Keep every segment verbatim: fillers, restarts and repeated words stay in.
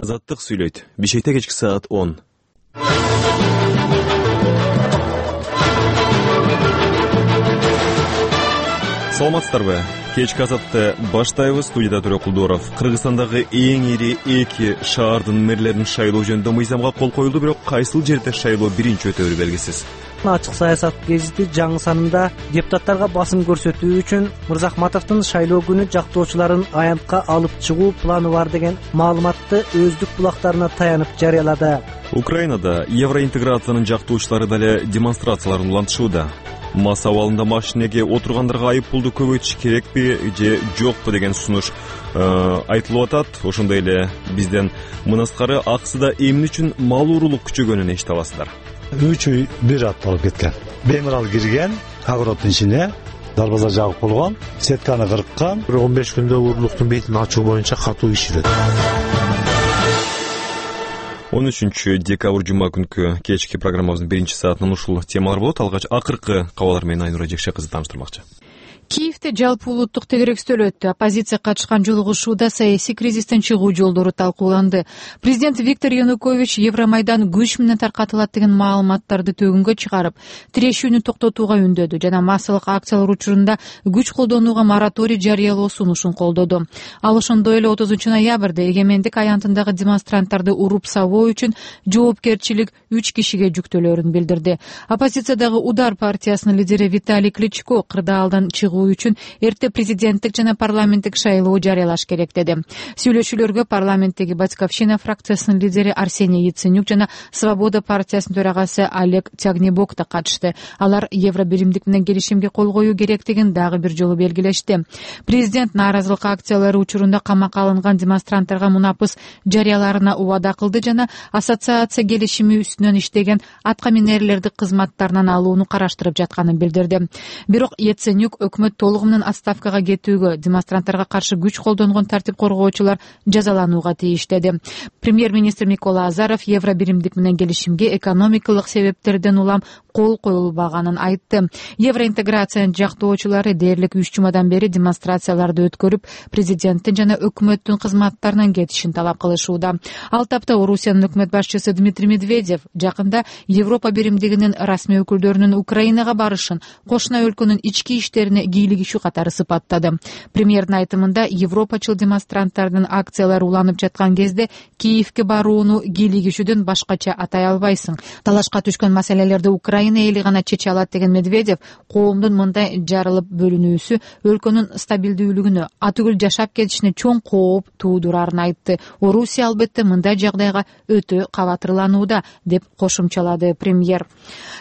Азаттык сүйлөйт. Бишкекте кечки саат он. Саламатсыздарбы? Кечки азатты баштайбыз. Студияда Төрө Кулдоров. Кыргызстандагы эң ири эки шаардын мэрлерин шайлоо жөнүндө мыйзамга кол коюлду, бирок кайсыл жерде шайлоо биринчи өтөөрү белгисиз. Ачык саясат гезити жаңы санында депутаттарга басым көрсөтүү үчүн Мырзахматовдун шайлоо күнү жактоочуларын аянтка алып чыгуу планы бар деген маалыматты өздүк булактарына таянып жарыялады. Украинада евроинтеграциянын жактоочулары дале демонстрацияларын улантышууда. Мас абалында машинеге отургандарга айып пулду көбөйтүш керекпи же жокпу деген сунуш э, айтылып атат. Ошондой эле бизден мынаскары аксыда эмне үчүн мал уурулук күчөгөнүн эшите аласыздар. Үч үй бир ат болуп кеткен. Бемирал кирген, огороддун ичине дарбаза жабык болгон, сетканы кырккан. бир он беш күндө уурулуктун бетин ачуу боюнча катуу иш жүрөт. он үчүнчү декабрь жума күнкү кечки программабыздын биринчи саатынан ушул темалар болот. Алгач акыркы кабарлар менен Айнура Жекше кызы тааныштырмакчы. Киевде жалпы улуттук тегеректөө өттү. Оппозиция катышкан жолугушууда саясий кризистен чыгуу жолдору талкууланды. Президент Виктор Янукович Евромайдан күч менен таркатылат деген маалыматтарды төгүнгө чыгарып, тирешүүнү токтотууга үндөдү жана массалык акциялар учурунда күч колдонууга мораторий жарыялоо сунушун колдоду. Ал ошондой эле отузунчу ноябрда эгемендик аянтындагы демонстранттарды уруп сабоо үчүн жоопкерчилик үч кишиге жүктөлөрүн билдирди. Оппозициядагы Удар партиясынын лидери Виталий Кличко кырдаалдан чыгуу үчүн эрте президенттик жана парламенттик шайлоо жарыялаш керек деди. Сүйлөшүүлөргө парламенттеги Батьковщина фракциясынын лидери Арсений Яценюк жана Свобода партиясынын төрагасы Олег Тягнебок да катышты. Алар евробиримдик менен келишимге кол коюу керектигин дагы бир жолу белгилешти. Президент нааразылык акциялары учурунда камакка алынган демонстранттарга мунапыс жарыяларына убада кылды жана ассоциация келишими үстүнөн иштеген атка минерлерди кызматтарынан алууну караштырып жатканын билдирди. Бирок Яценюк өкмөт толугу менен отставкага кетүүгө, демонстранттарга каршы күч колдонгон тартип коргоочулар жазаланууга тийиш деди. Премьер-министр Микола Азаров евробиримдик менен келишимге экономикалык себептерден улам кол коюлбаганын айтты. Евроинтеграциянын жактоочулары дээрлик үч жумадан бери демонстрацияларды өткөрүп, президенттин жана өкмөттүн кызматтарынан кетишин талап кылышууда. Ал тапта Орусиянын өкмөт башчысы Дмитрий Медведев жакында Европа биримдигинин расмий өкүлдөрүнүн Украинага барышын кошуна өлкөнүн ички иштерине кийлигишүү катары сыпаттады. Премьердин айтымында европачыл демонстранттардын акциялары уланып жаткан кезде Киевге барууну кийлигишүүдөн башкача атай албайсың. Талашка түшкөн маселелерди Украина эли гана чече алат деген Медведев коомдун мындай жарылып бөлүнүүсү өлкөнүн стабилдүүлүгүнө, атүгүл жашап кетишине чоң кооп туудурарын айтты. Орусия албетте мындай жагдайга өтө кабатырланууда деп кошумчалады премьер.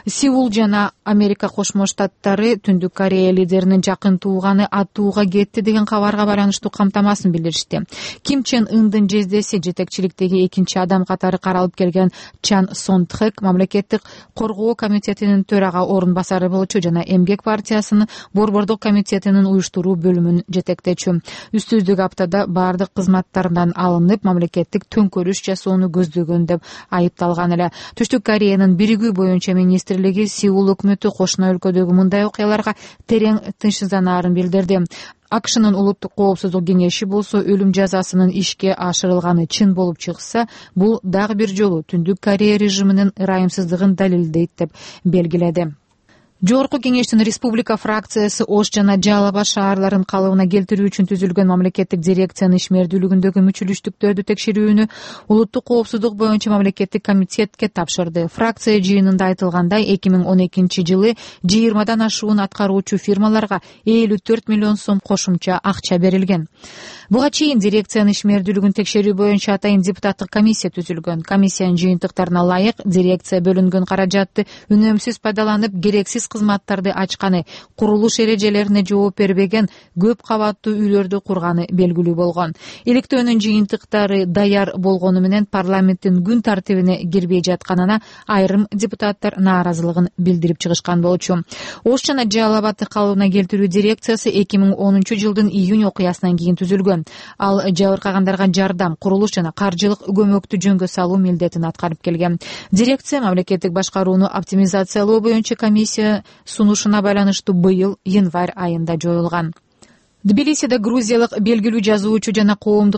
Сеул жана Америка Кошмо Штаттары Түндүк Корея лидеринин жакын тууганы атууга кетти деген кабарга байланыштуу камтамасын билдиришти. Ким Чен Ындын жездеси жетекчиликтеги экинчи адам катары каралып келген Чан Сон Тхэк мамлекеттик коргоо комитетинин төрага орун басары болчу жана Эмгек партиясынын борбордук комитетинин уюштуруу бөлүмүн жетектечү. Үстүздүк аптада бардык кызматтарынан алынып, мамлекеттик төңкөрүш жасоону көздөгөн деп айыпталган эле. Түштүк Кореянын биригүү боюнча министрлиги Сеул өкмөтү кошуна өлкөдөгү мындай окуяларга терең тынчсызданаарын билдирди. АКШнын улуттук коопсуздук кеңеши болсо өлүм жазасынын ишке ашырылганы чын болуп чыкса, бул дагы бир жолу Түндүк Корея режиминин ырайымсыздыгын далилдейт деп белгиледи. Жогорку кеңештин республика фракциясы Ош жана Жалал Абад шаарларын калыбына келтирүү үчүн түзүлгөн мамлекеттик дирекциянын ишмердүүлүгүндөгү мүчүлүштүктөрдү текшерүүнү улуттук коопсуздук боюнча мамлекеттик комитетке тапшырды. Фракция жыйынында айтылгандай, эки миң он экинчи жылы жыйырмадан ашуун аткаруучу фирмаларга элүү төрт миллион сом кошумча акча берилген. Буга чейин дирекциянын ишмердүүлүгүн текшерүү боюнча атайын депутаттык комиссия түзүлгөн. Комиссиянын жыйынтыктарына ылайык дирекция бөлүнгөн каражатты үнөмсүз пайдаланып, керексиз кызматтарды ачканы, курулуш эрежелерине жооп бербеген, көп кабаттуу үйлөрдү курганы белгилүү болгон. Иликтөөнүн жыйынтыктары даяр болгону менен парламенттин күн тартибине кирбей жатканына айрым депутаттар нааразылыгын билдирип чыгышкан болчу. Ош жана Жалал Абадды калыбына келтирүү дирекциясы эки миң онунчу жылдын июнь окуясынан кийин түзүлгөн. Ал жабыркагандарга жардам, курулуш жана каржылык көмөктү жөнгө салуу милдетин аткарып келген. Дирекция мамлекеттик башкарууну оптимизациялоо боюнча комиссия сунушуна байланыштуу быйыл январь айында жоюлган. Тбилисиде грузиялык белгилүү жазуучу жана коомдук